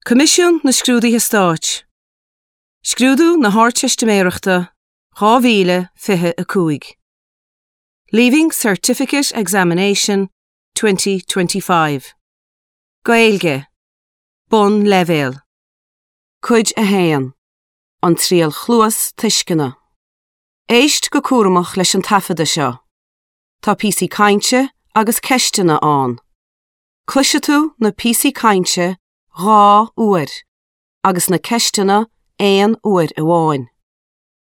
Coimisiún na Scrúduithe Stáit, Scrúdú na hArdteistiméireachta 2025, Leaving Certificate Examination 2025, Gaeilge, Bonnleibhéal, Cuid 1, An Triail Chluastuisceana. Éist go cúramach leis an taifeadadh seo. Tá píosaí cainte agus ceisteanna ann. Cloisfidh tú na píosaí cainte 2 uair agus na ceisteanna aon uair amháin.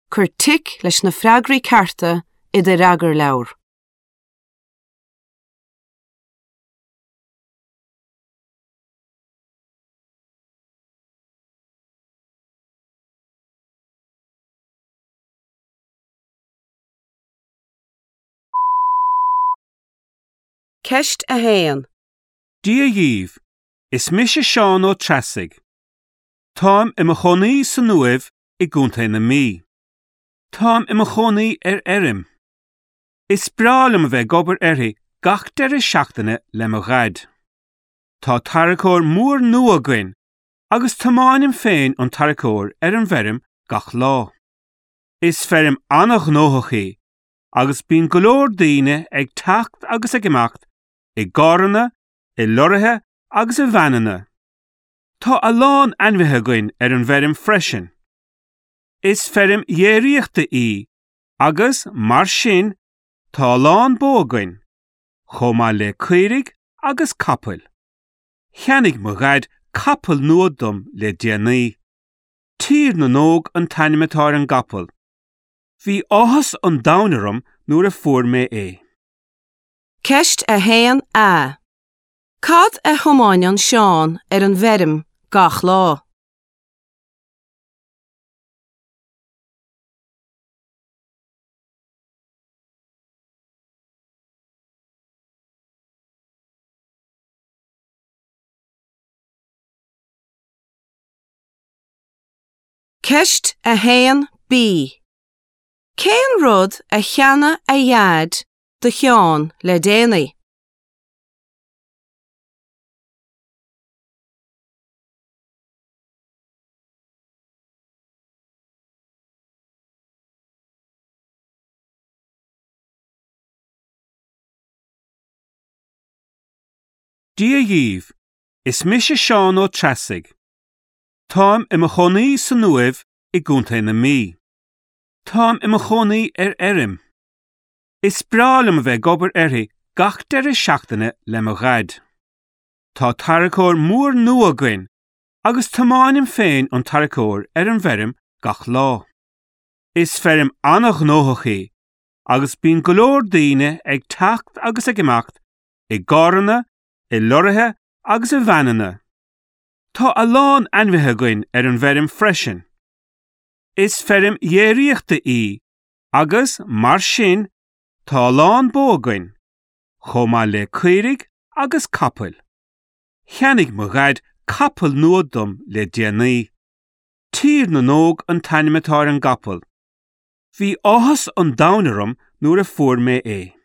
Cuir tic leis na freagraí cearta i do fhreagarleabhar. Ceist 1. Dia dhaoibh, is mise Seán Ó Treasaigh. Táim i mo chónaí san Uaimh i gContae na Mí. Táim i mo chónaí ar fheirm. Is breá liom a bheith ag obair uirthi gach deireadh seachtaine le mo dhaid. Tá tarracóir mór nua againn agus tiomáinim féin an tarracóir ar an bhfeirm gach lá. Is feirm an-ghnóthach í agus bíonn go leor daoine ag teacht agus ag imeacht i gcarranna, i lorraithe agus i veaineanna. Tá a lán ainmhithe againn ar an bhfeirm freisin. Is feirm dhéiríochta í agus, mar sin, tá a lán bó againn, chomh maith le caoirigh agus capaill. Cheannaigh mo dhaid capall nua dom le déanaí. Tír na nÓg an t-ainm atá ar an gcapall. Bhí áthas an domhain orm nuair a fuair mé é. Ceist 1A. Cad a thiomáineann Seán ar an bhfeirm gach lá? Ceist 1B. Cén rud a cheannaigh a dhaid do Sheán le déanaí? Dia dhaoibh, is mise Seán Ó Treasaigh. Táim i mo chónaí san Uaimh i gContae na Mí. Táim i mo chónaí ar fheirm. Is breá liom a bheith ag obair uirthi gach deireadh seachtaine le mo dhaid. Tá tarracóir mór nua againn agus tiomáinim féin an tarracóir ar an bhfeirm gach lá. Is feirm an-ghnóthach í agus bíonn go leor daoine ag teacht agus ag imeacht i gcarranna, i lorraithe agus i veaineanna. Tá a lán ainmhithe againn ar an bhfeirm freisin. Is feirm dhéiríochta í agus, mar sin, tá a lán bó againn, chomh maith le caoirigh agus capaill. Cheannaigh mo dhaid capall nua dom le déanaí. Tír na nÓg an t-ainm atá ar an gcapall. Bhí áthas an domhain orm nuair a fuair mé é.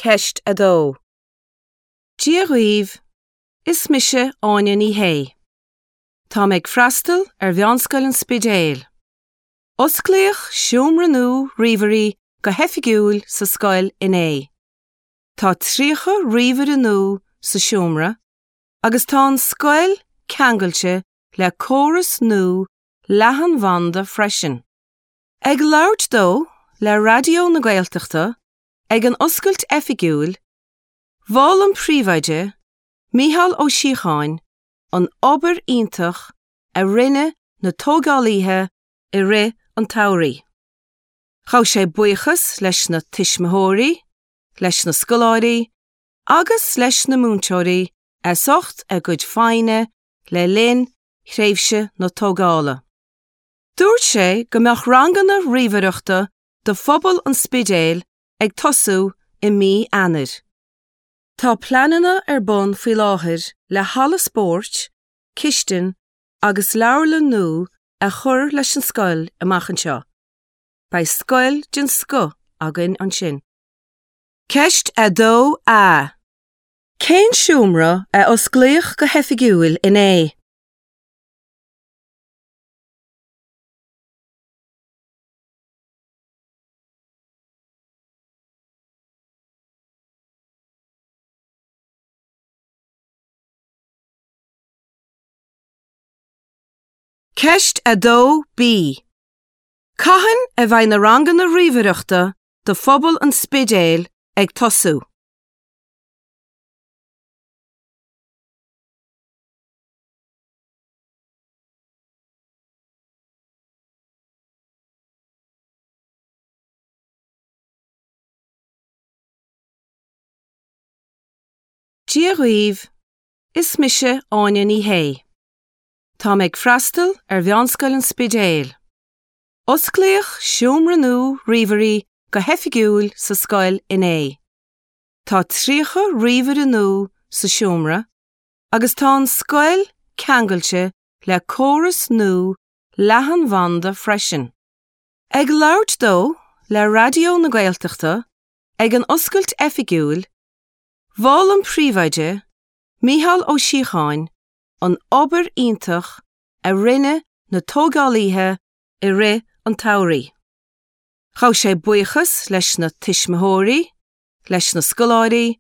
Ceist 2. Dia dhaoibh, is mise Áine Ní Shé. Táim ag freastal ar Mheánscoil an Spidéil. Osclaíodh seomra nua ríomhairí go hoifigiúil sa scoil inné. Tá 30 ríomhaire nua sa seomra agus tá an scoil ceangailte le córas nua leathanbhanda freisin. Ag labhairt dó le Raidió na Gaeltachta ag an oscailt oifigiúil, mhol an príomhoide, Mícheál Ó Síocháin, an obair iontach a rinne na tógálaithe i rith an tsamhraidh. Ghabh sé buíochas leis na tuismitheoirí, leis na scoláirí agus leis na múinteoirí as ucht a gcuid foighne le linn thréimhse na tógála. Dúirt sé go mbeadh ranganna ríomhaireachta do phobal an Spidéil ag tosú i mí Eanáir. Tá pleananna ar bun faoi láthair le halla spóirt, cistin agus leabharlann nua a chur leis an scoil amach anseo. Beidh scoil den scoth againn ansin. Ceist 2A. Cén seomra a osclaíodh go hoifigiúil inné? Ceist 2B. Cathain a bheidh na ranganna ríomhaireachta do phobal an Spidéil ag tosú? Dia dhaoibh, is mise Áine Ní Shé. Táim ag freastal ar Mheánscoil an Spidéil. Osclaíodh seomra nua ríomhairí go hoifigiúil sa scoil inné. Tá 30 ríomhaire nua sa seomra agus tá an scoil ceangailte le córas nua leathanbhanda freisin. Ag labhairt dó le Raidió na Gaeltachta ag an oscailt oifigiúil, mhol an príomhoide, Mícheál Ó Síocháin, an obair iontach a rinne na tógálaithe i rith an tsamhraidh. Ghabh sé buíochas leis na tuismitheoirí, leis na scoláirí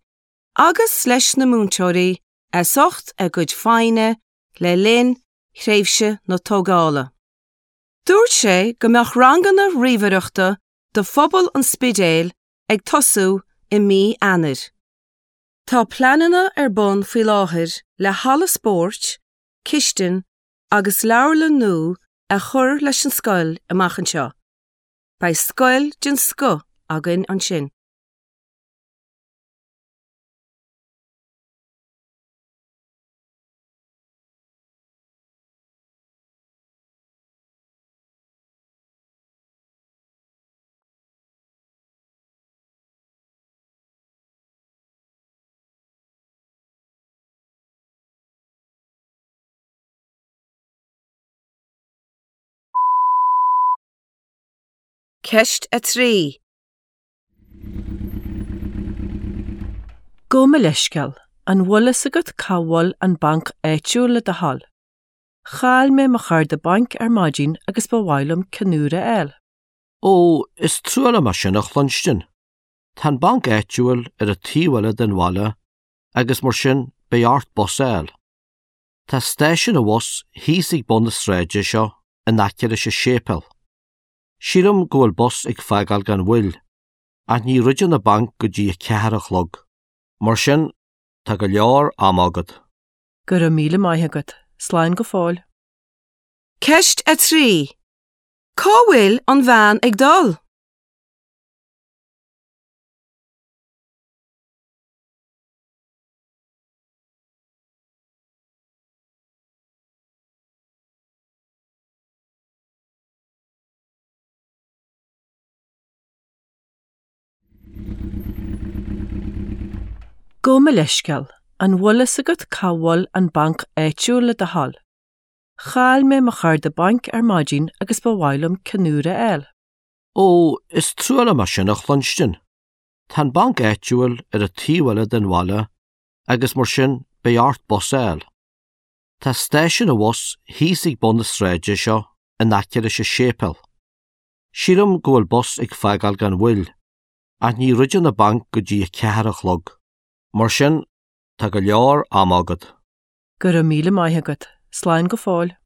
agus leis na múinteoirí as ucht a gcuid foighne le linn thréimhse na tógála. Dúirt sé go mbeadh ranganna ríomhaireachta do phobal an Spidéil ag tosú i mí Eanáir. Tá pleananna ar bun faoi láthair le halla spóirt, cistin agus leabharlann nua a chur leis an scoil amach anseo. Beidh scoil den scoth againn ansin. Ceist 3. Gabh mo leithscéal, an bhfuil fhios agat cá bhfuil an banc áitiúil le do thoil? Chaill mé mo chárta bainc ar maidin agus ba mhaith liom ceann úr a fháil. Ó, is trua liom é sin a chluinstin. Tá an banc áitiúil ar an taobh eile den bhaile agus mar sin beidh ort bus a fháil. Tá stáisiún an bhus thíos ag bun na sráide seo in aice leis an séipéal. Sílim go bhfuil bus ag fágáil gan mhoill, ach ní dhruideann an banc go dtí a ceathair a chlog. Mar sin, tá go leor ama agat. Go raibh míle maith agat. Slán go fóill. Ceist 3. Cá bhfuil an bhean ag dul? Gabh mo leithscéal, an bhfuil fhios agat cá bhfuil an banc áitiúil le do thoil? Chaill mé mo chárta bainc ar maidin agus ba mhaith liom ceann úr a fháil. Ó, is trua liom é sin a chluinstin. Tá an banc áitiúil ar an taobh eile den bhaile agus mar sin beidh ort bus a fháil. Tá stáisiún an bhus thíos ag bun na sráide seo in aice leis an séipéal. Sílim go bhfuil bus ag fágáil gan mhoill, ach ní dhruideann an banc go dtí a ceathair a chlog. Mar sin, tá go leor ama agat. Go raibh míle maith agat. Slán go fóill.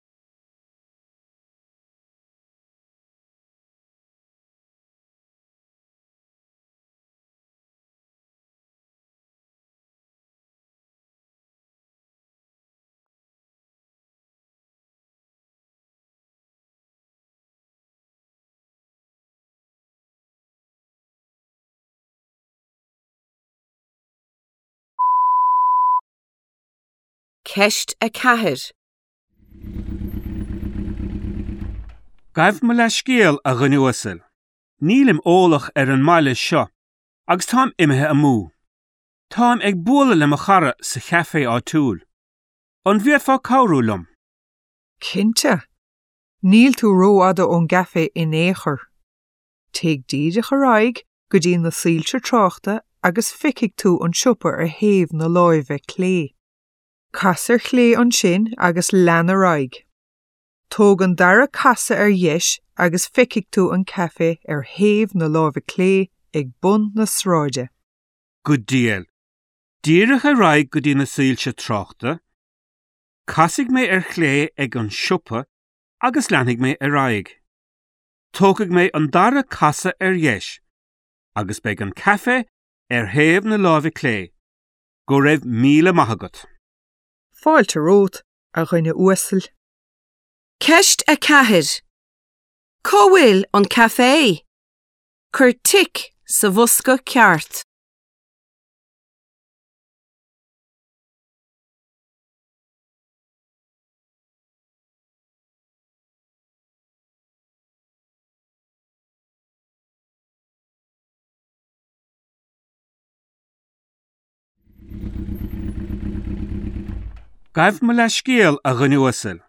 Ceist 4. Gabh mo leithscéal, a dhuine uasail. Nílim eolach ar an mbaile seo agus táim imithe amú. Táim ag bualadh le mo chara sa chaifé áitiúil. An bhféadfá cabhrú liom? Cinnte. Níl tú rófhada ón gcaifé in aon chor. Téigh díreach ar aghaidh go dtí na soilse tráchta agus feicfidh tú an siopa ar thaobh na láimhe clé. Cas ar chlé ansin agus lean ar aghaidh. Tóg an dara casadh ar dheis agus feicfidh tú an caifé ar thaobh na láimhe clé ag bun na sráide. Go diail. Díreach ar aghaidh go dtí na soilse tráchta. Casfaidh mé ar chlé ag an siopa agus leanfaidh mé ar aghaidh. Tógfaidh mé an dara casadh ar dheis agus beidh an caifé ar thaobh na láimhe clé. Go raibh míle maith agat. Fáilte romhat, a dhuine uasail. Ceist 4. Cá bhfuil an caifé? Cuir tic sa bhosca ceart. Gabh mo leithscéal, a dhuine uasail.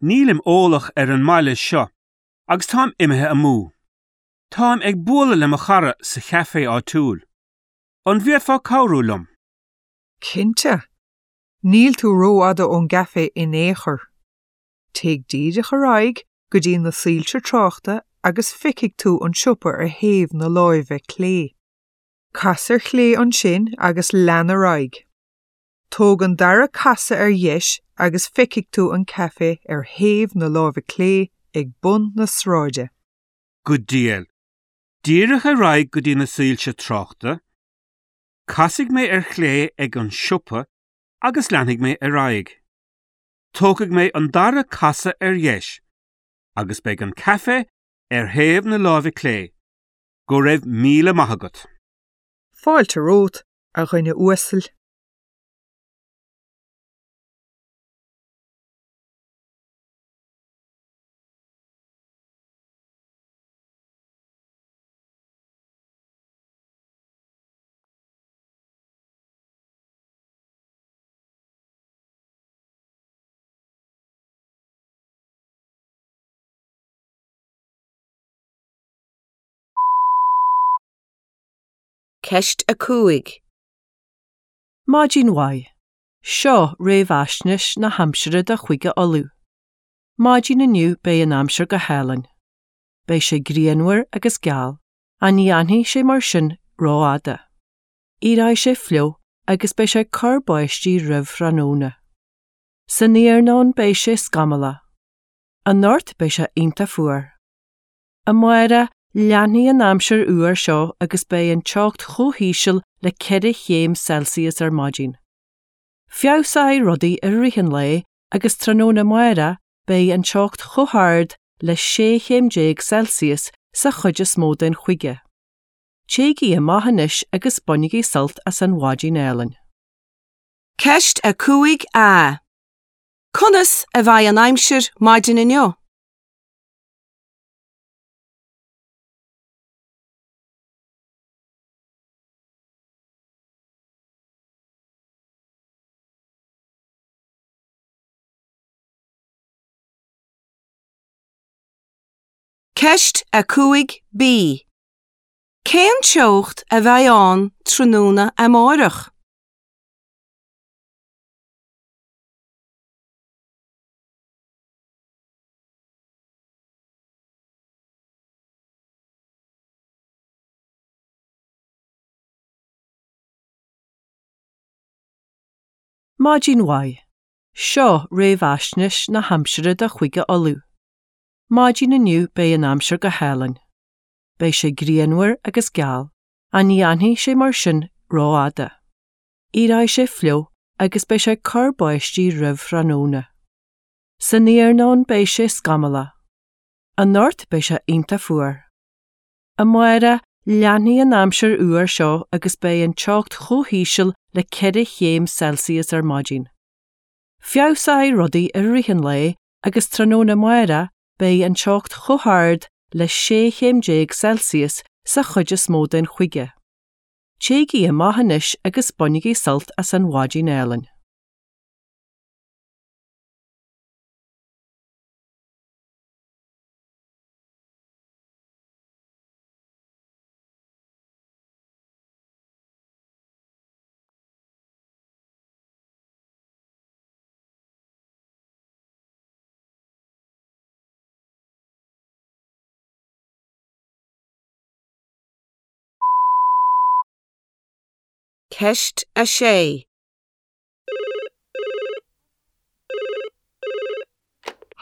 Nílim eolach ar an mbaile seo agus táim imithe amú. Táim ag bualadh le mo chara sa chaifé áitiúil. An bhféadfá cabhrú liom? Cinnte. Níl tú rófhada ón gcaifé in aon chor. Téigh díreach ar aghaidh go dtí na soilse tráchta agus feicfidh tú an siopa ar thaobh na láimhe clé. Cas ar chlé ansin agus lean ar aghaidh. Tóg an dara casadh ar dheis agus feicfidh tú an caifé ar thaobh na láimhe clé ag bun na sráide. Go diail. Díreach ar aghaidh go dtí na soilse tráchta. Casfaidh mé ar chlé ag an siopa agus leanfaidh mé ar aghaidh. Tógfaidh mé an dara casadh ar dheis agus beidh an caifé ar thaobh na láimhe clé. Go raibh míle maith agat. Fáilte romhat, a dhuine uasail. Ceist 5. Maidin mhaith. Seo réamhaisnéis na haimsire do Chúige Uladh. Maidin inniu beidh an aimsir go hálainn. Beidh sé grianmhar agus geal, ach ní fhanfaidh sé mar sin rófhada. Éireoidh sé fliuch agus beidh sé ag cur báistí roimh thráthnóna. San iarnóin beidh sé scamallach. Anocht beidh sé iontach fuar. Amárach, leanfaidh an aimsir fhuar seo agus beidh an teocht chomh híseal le 4 chéim Celsius ar maidin. Feabhsóidh rudaí i rith an lae agus tráthnóna amárach beidh an teocht chomh hard le 16 chéim Celsius sa chuid is mó den chúige. Téigí amach anois agus bainigí sult as an mhaidin álainn. Ceist 5A. Conas a bheidh an aimsir maidin inniu? Ceist 5B. Cén teocht a bheidh ann tráthnóna amárach? Maidin mhaith. Seo réamhaisnéis na haimsire do Chúige Uladh. Maidin inniu beidh an aimsir go hálainn. Beidh sé grianmhar agus geal, ach ní fhanfaidh sé mar sin rófhada. Éireoidh sé fliuch agus beidh sé ag cur báistí roimh thráthnóna. San iarnóin beidh sé scamallach. Anocht beidh sé iontach fuar. Amárach, leanfaidh an aimsir fhuar seo agus beidh an teocht chomh híseal le 4 chéim Celsius ar maidin. Feabhsóidh rudaí i rith an lae agus tráthnóna amárach. Beidh an teocht chomh hard le 16 chéim Celsius sa chuid is mó den chúige. Téigí amach anois agus bainigí sult as an mhaidin álainn. Ceist 6.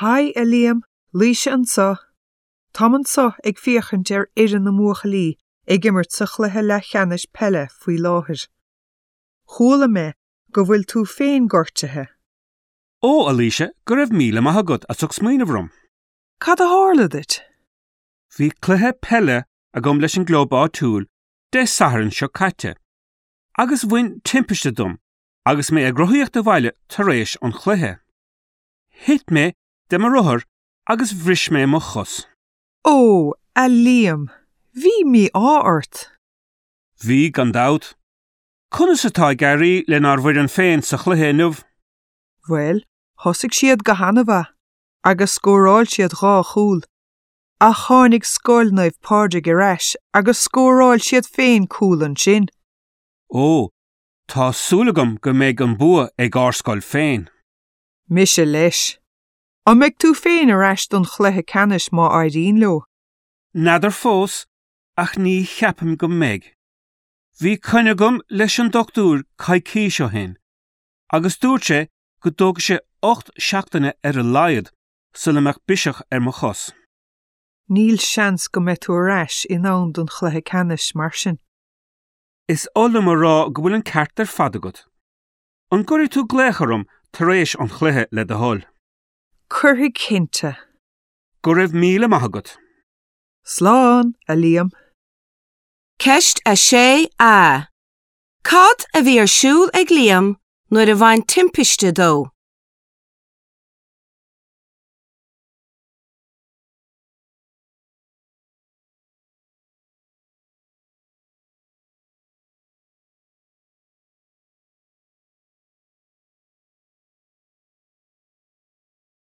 Haigh, a Liam, Laoise anseo. Táim anseo ag féachaint ar fhoireann na mbuachaillí ag imirt sa chluiche leathcheannais peile faoi láthair. Chuala mé go bhfuil tú féin gortaithe. Ó, a Laoise, go raibh míle maith agat as ucht smaoineamh orm. Cad a tharla duit? Bhí cluiche peile agam leis an gclub áitiúil Dé Sathairn seo caite, agus bhain timpiste dom agus mé ag rothaíocht abhaile tar éis an chluiche. Thit mé de mo rothar agus bhris mé mo chos. Ó, a Liam, bhí mí-ádh ort. Bhí, gan dabht. Conas atá ag éirí lenár bhfoireann féin sa chluiche inniu? Bhuel, thosaigh siad go han-mhaith agus scóráil siad dhá chúl. Ach tháinig Scoil Naomh Pádraig ar ais agus scóráil siad féin cúl ansin. Ó, tá súil agam go mbeidh an bua ag ár scoil féin. Mise leis. An mbeidh tú féin ar ais don chluiche ceannais má éiríonn leo? N'fheadar fós, ach ní cheapaim go mbeidh. Bhí coinne agam leis an dochtúir coicís ó shin agus dúirt sé go dtógfaidh sé 8 seachtaine ar a laghad sula mbeadh biseach ar mo chos. Níl seans go mbeidh tú ar ais in am don chluiche ceannais, mar sin. Is oth liom a rá go bhfuil an ceart ar fad agat. An gcuirfidh tú glaoch orm tar éis an chluiche le do thoil? Cuirfidh cinnte. Go raibh míle maith agat. Slán, a Liam. Ceist 6A. Cad a bhí ar siúl ag Liam nuair a bhain timpiste dó?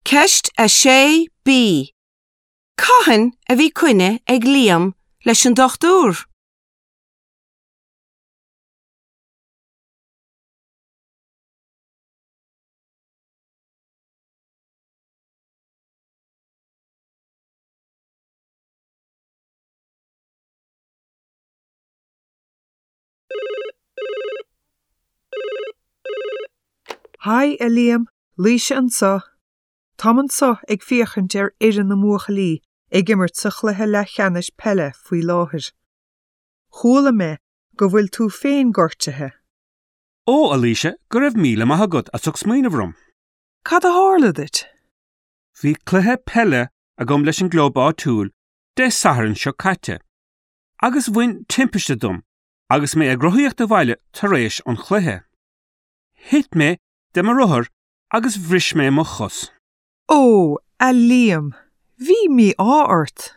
Ceist 6B. Cathain a bhí coinne ag Liam leis an dochtúir? Haigh, a Liam, Laoise anseo. Táim anseo ag féachaint ar fhoireann na mbuachaillí ag imirt sa chluiche leathcheannais peile faoi láthair. Chuala mé go bhfuil tú féin gortaithe. Ó, a Laoise, go raibh míle maith agat as ucht smaoineamh orm. Cad a tharla duit? Bhí cluiche peile agam leis an gclub áitiúil Dé Sathairn seo caite, agus bhain timpiste dom agus mé ag rothaíocht abhaile tar éis an chluiche. Thit mé de mo rothar agus bhris mé mo chos. Ó, a Liam, bhí mí-ádh ort.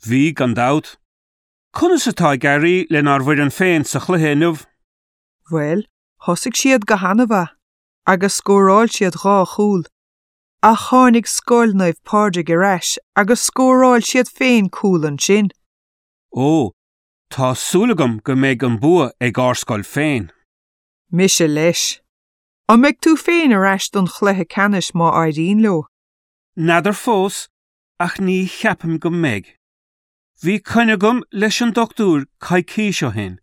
Bhí, gan dabht. Conas atá ag éirí lenár bhfoireann féin sa chluiche inniu? Bhuel, thosaigh siad go han-mhaith agus scóráil siad dhá chúl. Ach tháinig Scoil Naomh Pádraig ar ais agus scóráil siad féin cúl ansin. Ó, tá súil agam go mbeidh an bua ag ár scoil féin. Mise leis. An mbeidh tú féin ar ais don chluiche ceannais má éiríonn leo? N'fheadar fós, ach ní cheapaim go mbeidh. Bhí coinne agam leis an dochtúir coicís ó shin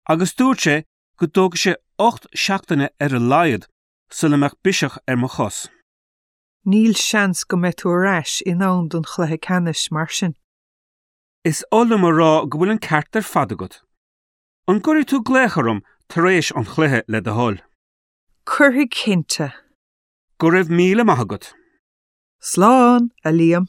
agus dúirt sé go dtógfaidh sé 8 seachtaine ar a laghad sula mbeadh biseach ar mo chos. Níl seans go mbeidh tú ar ais in am don chluiche ceannais, mar sin. Is oth liom a rá go bhfuil an ceart ar fad agat. An gcuirfidh tú glaoch orm tar éis an chluiche le do thoil? Cuirfidh cinnte. Go raibh míle maith agat. Slán, a Liam.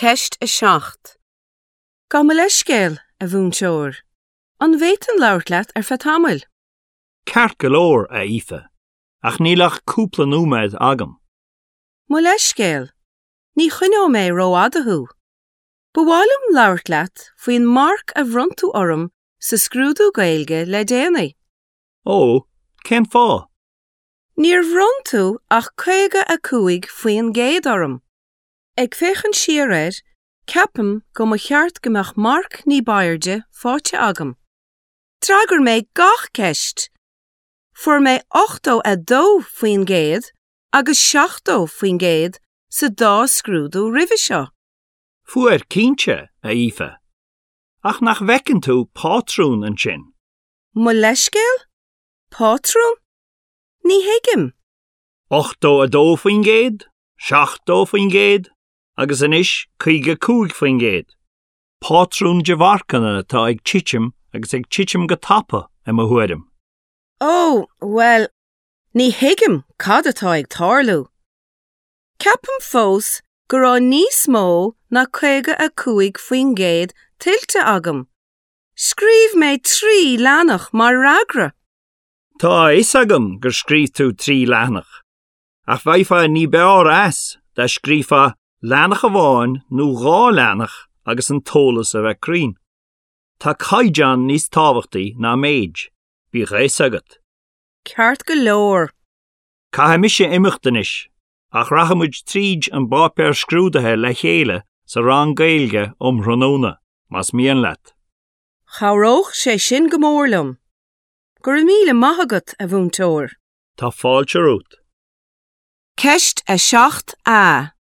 Ceist 7. Gabh mo leithscéal, a mhúinteoir. An bhféadfainn labhairt leat ar feadh tamaill? Ceart go leor, a Aoife, ach níl ach cúpla nóiméad agam. Mo leithscéal, ní choinneoidh mé rófhada thú. Ba mhaith liom labhairt leat faoin marc a bhronn tú orm sa scrúdú Gaeilge le déanaí. Ó, cén fáth? Níor bhronn tú ach 55% orm. Ag féachaint siar air, ceapaim go mba cheart go mbeadh marc ní b'airde faighte agam. D'fhreagair mé gach ceist! Fuair mé 82% agus 70% sa dá scrúdú roimhe seo. Fuair, cinnte, a Aoife. Ach nach bhfeiceann tú pátrún ansin? Mo leithscéal? Pátrún? Ní thuigim. 82%, 70% agus anois 55%. Pátrún de mharcanna atá ag titim agus ag titim go tapa, i mo thuairim. Ó, bhuel, Ní thuigim cad atá ag tarlú. Ceapaim fós go raibh níos mó ná 55% tuillte agam. Scríobh mé 3 leathanach mar fhreagra. Tá a fhios agam gur scríobh tú 3 leathanach, ach bheifeá ní b'fhearr as dá scríobhfá leathanach amháin nó dhá leathanach agus an t-eolas a bheith cruinn. Tá caighdeán níos tábhachtaí ná méid, bíodh a fhios agat. Ceart go leor. Caithfidh mise imeacht anois, ach rachaidh muid tríd an bpáipéar scrúdaithe le chéile sa rang Gaeilge um thráthnóna, más mian leat. Chabhródh sé sin go mór liom. Go raibh míle maith agat, a mhúinteoir. Tá fáilte romhat. Ceist 7A.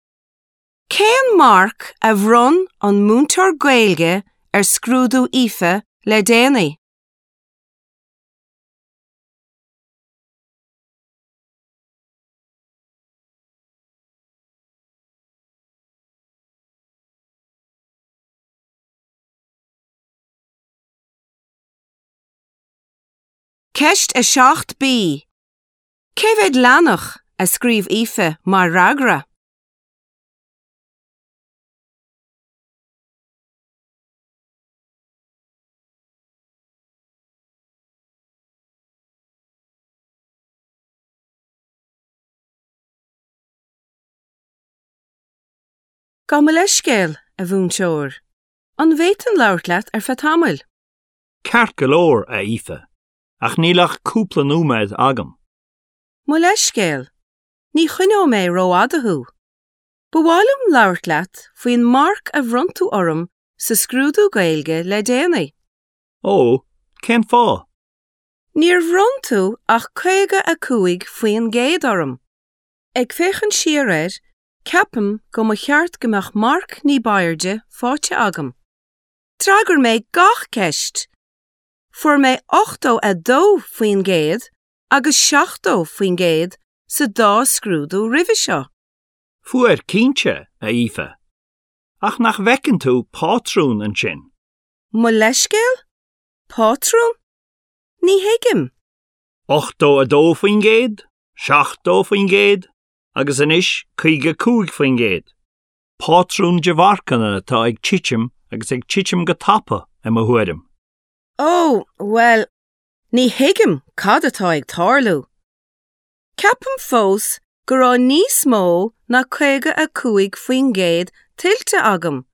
Cén marc a bhronn an múinteoir Gaeilge ar scrúdú Aoife le déanaí? Ceist 7B. Cé mhéad leathanach a scríobh Aoife mar fhreagra? Gabh mo leithscéal, a mhúinteoir. An bhféadfainn labhairt leat ar feadh tamaill? Ceart go leor, a Aoife, ach níl ach cúpla nóiméad agam. Mo leithscéal, ní choinneoidh mé rófhada thú. Ba mhaith liom labhairt leat faoin marc a bhronn tú orm sa scrúdú Gaeilge le déanaí. Ó, cén fáth? Níor bhronn tú ach 55% orm. Ag féachaint siar air, ceapaim go mba cheart go mbeadh marc ní b'airde faighte agam. D'fhreagair mé gach ceist! Fuair mé 82% agus 70% sa dá scrúdú roimhe seo. Fuair, cinnte, a Aoife. Ach nach bhfeiceann tú pátrún ansin? Mo leithscéal? Pátrún? Ní thuigim. 82%, 70% agus anois 55%. Pátrún de mharcanna atá ag titim agus ag titim go tapa, i mo thuairim. Ó, bhuel, ní thuigim cad atá ag tarlú. Ceapaim fós go raibh níos mó ná 55% tuillte agam.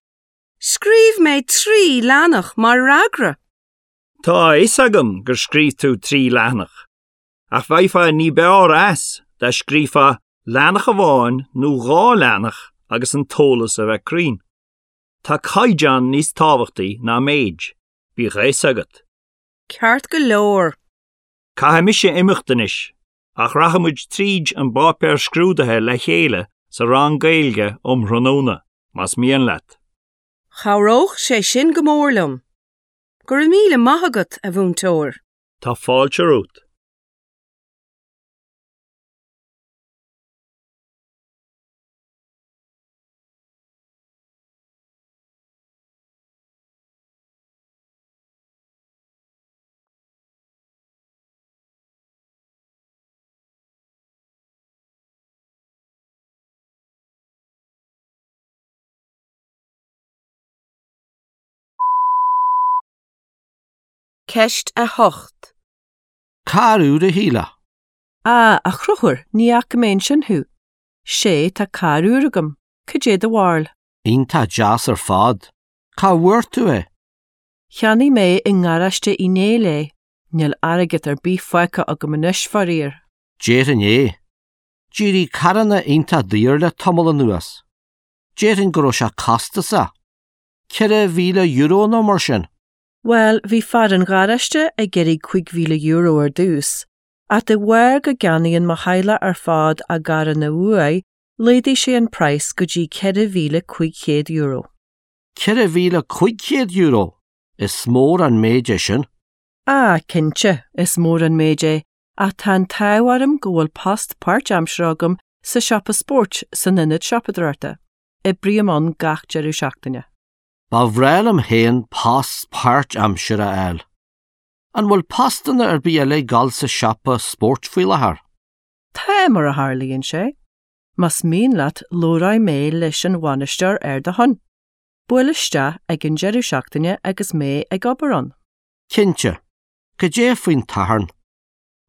Scríobh mé 3 leathanach mar fhreagra. Tá a fhios agam gur scríobh tú 3 leathanach, ach bheifeá ní b'fhearr as dá scríobhfá leathanach amháin nó dhá leathanach agus an t-eolas a bheith cruinn. Tá caighdeán níos tábhachtaí ná méid, bíodh a fhios agat. Ceart go leor. Caithfidh mise imeacht anois, ach rachaidh muid tríd an bpáipéar scrúdaithe le chéile sa rang Gaeilge um thráthnóna, más mian leat. Chabhródh sé sin go mór liom. Go raibh míle maith agat, a mhúinteoir. Tá fáilte romhat. Ceist 8. Carr úr, a Shíle? Á, a Chonchúir, ní fhaca mé ansin thú. Sé, tá carr úr agam. Cad é do bharúil? Iontach deas ar fad. Cá bhfuair tú é? Cheannaigh mé i ngaráiste Uí Néill é. Níl airgead ar bith fágtha agam anois, faraor. Déarfainn é. D'éirigh carranna iontach daor le tamall anuas. Déarfainn go raibh sé costasach. €4,000 nó mar sin. Bhuel, bhí fear an gharáiste ag iarraidh €5,000 ar dtús, ach de bharr go gceannaíonn mo theaghlach ar fad a gcarranna uaidh, laghdaigh sé an praghas go dtí €4,500. €4,500? Is mór an méid é sin. Ah, cinnte, is mór an méid é, ach tá an t-ádh orm go bhfuil post páirtaimseartha agam sa siopa spóirt san ionad siopadóireachta. Oibrím ann gach deireadh seachtaine. Ba bhreá liom féin post páirtaimseartha a fháil. An bhfuil postanna ar bith eile ag gabháil sa siopa spóirt faoi láthair? Tá, mar a tharlaíonn sé. Más mian leat labhróidh mé leis an bhainisteoir ar do shon. Buail isteach ag an deireadh seachtaine agus mé ag obair ann. Cinnte. Cad é faoin tSatharn?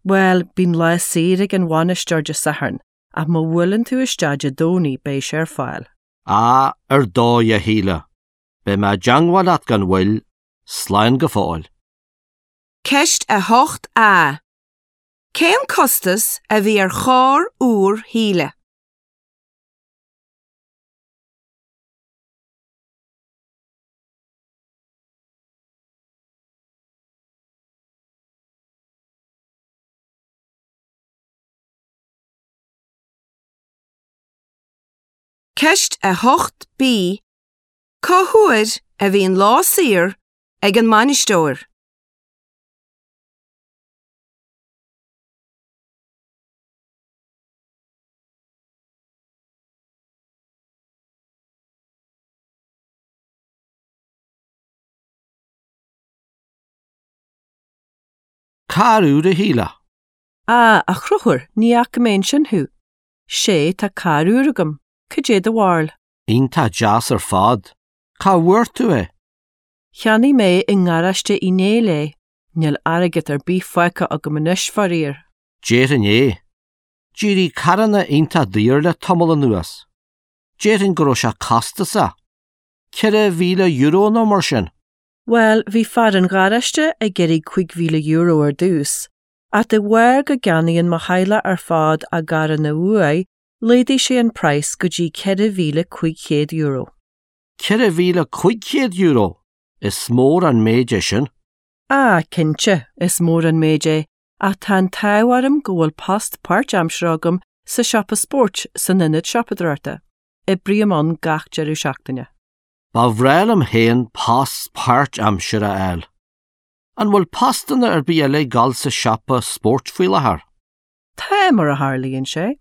Bhuel, bíonn lá saor ag an bhainisteoir Dé Sathairn, ach má bhuaileann tú isteach Dé Domhnaigh beidh sé ar fáil. Á, ar dóigh, a Shíle. Beidh mé i dteangmháil leat gan mhoill. Slán go fóill. Ceist 8A. Cén costas a bhí ar charr úr Shíle? Ceist 8B Cá huair a bhíonn lá saor ag an mbainisteoir? Carr úr, a Shíle? Á, a Chonchúir, ní fhaca mé ansin thú. Sé, tá carr úr agam. Cad é do bharúil? Iontach deas ar fad. Cá bhfuair tú é? Cheannaigh mé i ngaráiste Uí Néill é. Níl airgead ar bith fágtha agam anois, faraor. Déarfainn é. D'éirigh carranna iontach daor le tamall anuas. Déarfainn go raibh sé costasach. €4,000 nó mar sin. Bhuel, bhí fear an gharáiste ag iarraidh €5,000 ar dtús, ach de bharr go gceannaíonn mo theaghlach ar fad a gcarranna uaidh, laghdaigh sé an praghas go dtí €4,500. €4,500? Is mór an méid é sin. Á, cinnte, is mór an méid é, ach tá an t-ádh orm go bhfuil post páirtaimseartha agam sa siopa spóirt san ionad siopadóireachta. Oibrím ann gach deireadh seachtaine. Ba bhreá liom féin post páirtaimseartha a fháil. An bhfuil postanna ar bith eile ag gabháil sa siopa spóirt faoi láthair? Tá, mar a tharlaíonn sé.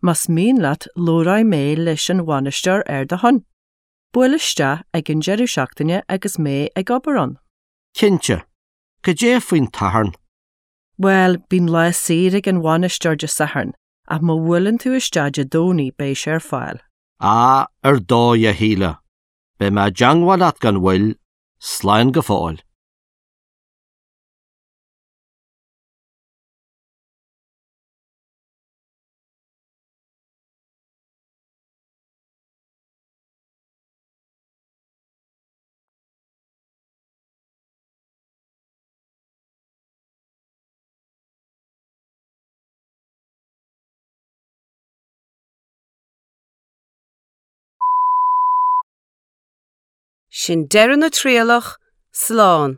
Más mian leat labhróidh mé leis an bhainisteoir ar do shon. Buail isteach ag an deireadh seachtaine agus mé ag obair ann. Cinnte. Cad é faoin tSatharn? Bhuel, bíonn lá saor ag an bhainisteoir Dé Sathairn, ach má bhuaileann tú isteach Dé Domhnaigh beidh sé ar fáil. Á, ar dóigh, a Shíle. Beidh mé i dteangmháil leat gan mhoill. Slán go fóill. Sin deireadh na trialach, slán.